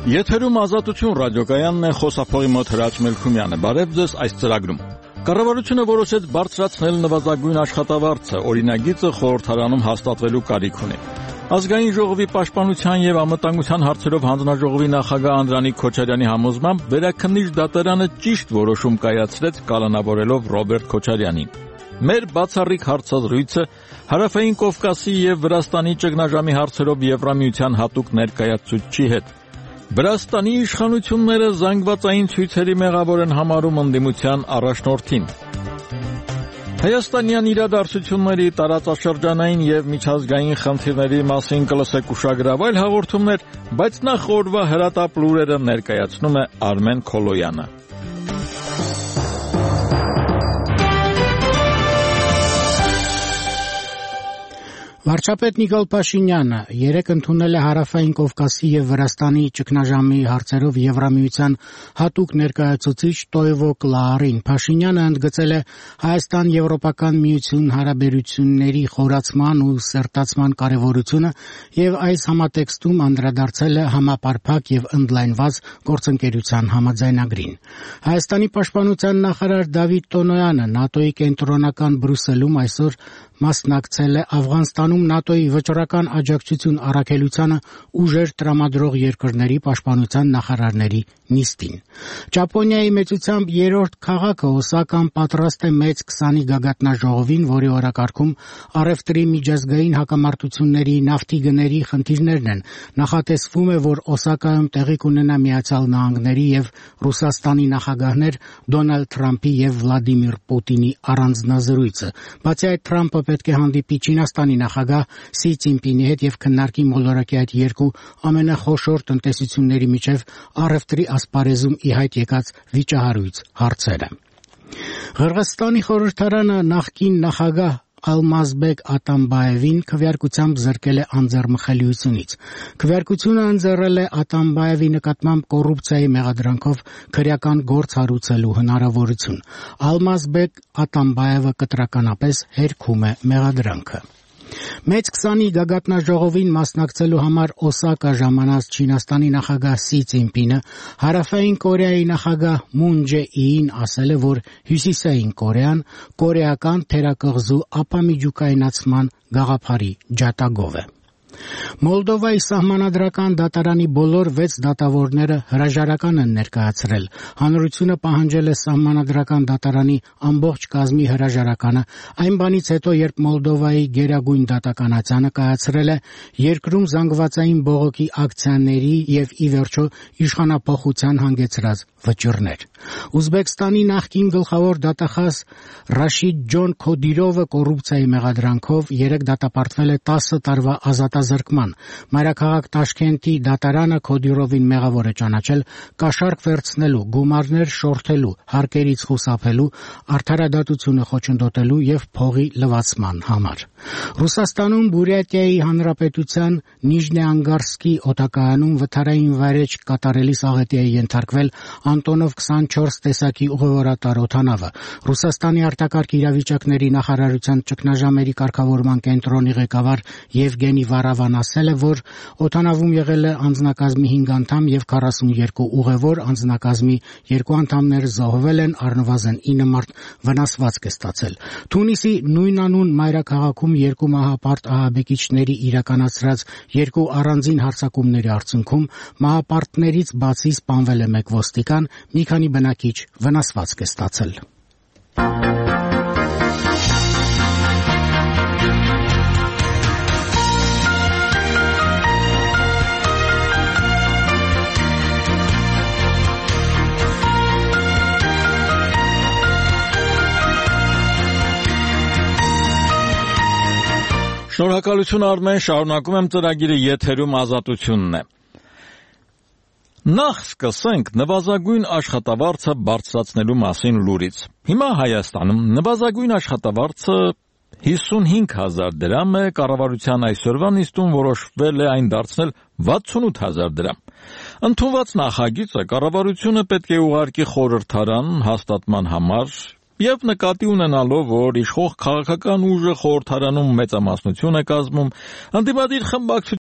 Եթերում Ազատություն ռադիոկայանն է, խոսափողի մոտ Հրաչ Մելքումյանը։ Բարև ձեզ այս ծրագրում։ Կառավարությունը որոշեց բարձրացնել նվազագույն աշխատավարձը, օրինագիծը խորհրդարանում հաստատվելու կարիք ունի։ Ազգային ժողովի պաշտպանության եւ անվտանգության հարցերով հանձնաժողովի նախագահ Անդրանիկ Քոչարյանի համոզմամբ վերաքննիչ դատարանը ճիշտ որոշում կայացրեց, կալանավորելով Ռոբերտ Քոչարյանին։ Մեր բացառիկ հարցազրույցը Հարավային Կովկասի եւ Վրաստանի ճգնաժամի հարցերով Եվրամիության հատուկ ներկայացուցչի հետ։ Վրաստանի իշխանությունները զանգվածային ցույցերի մեղավոր են համարում ընդդիմության առաջնորդին։ Հայաստանյան իրադարձությունների տարածաշրջանային եւ միջազգային խնդիրների մասին կլսեք ուշագրավ այլ հաղորդումներ, բայց նախ օրվա հրատապ լուրերը ներկայացնում է Արմեն Քոլոյանը։ Վարչապետ Նիկոլ Փաշինյանը երեկ ընդունել է Հարավային Կովկասի եւ Վրաստանի ճգնաժամի հարցերով Եվրամիության հատուկ ներկայացուցիչ Տոյվո Կլարին։ Փաշինյանը ընդգծել է Հայաստան-Եվրոպական միություն հարաբերությունների խորացման ու սերտացման կարեւորությունը եւ այս համատեքստում անդրադարձել է համապարփակ եւ ընդլայնված գործընկերության համաձայնագրին։ Հայաստանի պաշտպանության նախարար Դավիթ Տոնոյանը ՆԱՏՕ-ի կենտրոնական Բրյուսելում այսօր մասնակցել է Աֆղանստանում ՆԱՏՕ-ի վճռական աջակցություն առաքելությանը ուժեր տրամադրող երկրների պաշտպանության նախարարների նիստին։ Ճապոնիայի մեծությամբ երրորդ քաղաքը Օսական պատրաստ է մեծ 20-ի գագաթնաժողովին, որի օրակարգում առևտրի միջազգային հակամարտությունների նավթի գների խնդիրներն են։ Նախատեսվում է, որ Օսակայում տեղի կունենա Միացյալ Նահանգների եւ Ռուսաստանի նախագահներ Դոնալդ Թրամփի եւ Վլադիմիր Պուտինի առանձնազրույցը։ Բացի այդ, Թրամփը պետք է հանդիպի Չինաստանի նախագահ Սի Ցինպինի հետ եւ քննարկի մոլորակի այդ երկու ամենախոշոր տնտեսությունների միջև առևտրի ասպարեզում ի հայտ եկած վիճահարույց հարցերը։ Ղրղըզստանի խորհրդարանը նախկին նախագահ Ալմազբեկ Ատամբաևին քվեարկությամբ զրկել է անձեռմխելիությունից։ Քվեարկությունը ընձեռել է Ատամբաևի նկատմամբ կոռուպցիայի մեղադրանքով քրեական գործ հարուցելու հնարավորություն։ Ալմազբեկ Ատամբաևը կտրականապես հերքում է մեղադրանքը։ Մեծ 20-ի գագաթնաժողովին մասնակցելու համար Օսակա ժամանած Չինաստանի նախագահ Սի Ցինպինը Հարավային Կորեայի նախագահ Մուն Ջե-ինին ասել է, որ Հյուսիսային Կորեան կորեական թերակղզու ապամիջուկայնացման գաղափարի ջատագով է։ Մոլդովայի սահմանադրական դատարանի բոլոր 6 դատավորները հրաժարական են ներկայացրել։ Հանրությունը պահանջել է սահմանադրական դատարանի ամբողջ կազմի հրաժարականը այն բանից հետո, երբ Մոլդովայի գերագույն դատականացյանը կայացրել է երկրում զանգվածային բողոքի ակցիաների եւ ի վերջո իշխանափոխության հանգեցրած վճիռներ։ Ուզբեկստանի նախկին գլխավոր դատախազ Ռաշիդ Ջոն Քոդիրովը կոռուպցիայի մեղադրանքով երեք դատապարտվել է 10 տարվա ազատազրկման։ Մայրաքաղաք Տաշքենտի դատարանը Քոդիրովին մեղավոր է ճանաչել կաշառք վերցնելու, գումարներ շորթելու, հարկերից խուսափելու, արդարադատությունը խոչընդոտելու եւ փողի լվացման համար։ Ռուսաստանում Բուրյատիայի հանրապետության Նիժնեանգարսկի օդակայանում վթարային վայրէջք կատարելիս աղետի է ենթարկվել Անտոնով 24 տեսակի ուղևորատար օդանավը։ Ռուսաստանի արտակարգ իրավիճակների նախարարության ճգնաժամերի կարգավորման կենտրոնի ղեկավար Եվգենի Վարավան ասել է, որ օդանավում եղել է անձնակազմի 5 անդամ եւ 42 ուղևոր, անձնակազմի 2 անդամներ զոհվել են, առնվազն 9 մարդ վնասվածք է ստացել։ Թունիսի նույնանուն մայրաքաղաքում երկու մահապարտ ահաբեկիչների իրականացրած երկու առանձին հարձակումների արդյունքում մահապարտներից բացի սպանվել է մեկ ոստիկան, մի քանի բնակիչ վնասվածք է ստացել։ Շնորհակալություն Արմեն, շարունակում եմ ծրագիրը, եթերում Ազատությունն է։ Նախ սկսենք նվազագույն աշխատավարձը բարձրացնելու մասին լուրից։ Հիմա Հայաստանում նվազագույն աշխատավարձը 55,000 դրամ է, կառավարության այսօրվա նիստում որոշվել է այն դարձնել 68,000 դրամ։ Ընդունված նախագիծը կառավարությունը պետք է ուղարկի խորհրդարան հաստատման համար եւ նկատի ունենալով, որ իշխող քաղաքական ուժը խորհրդարանում մեծամասնություն է կազմում, ընդդիմադիր խմբակցությունները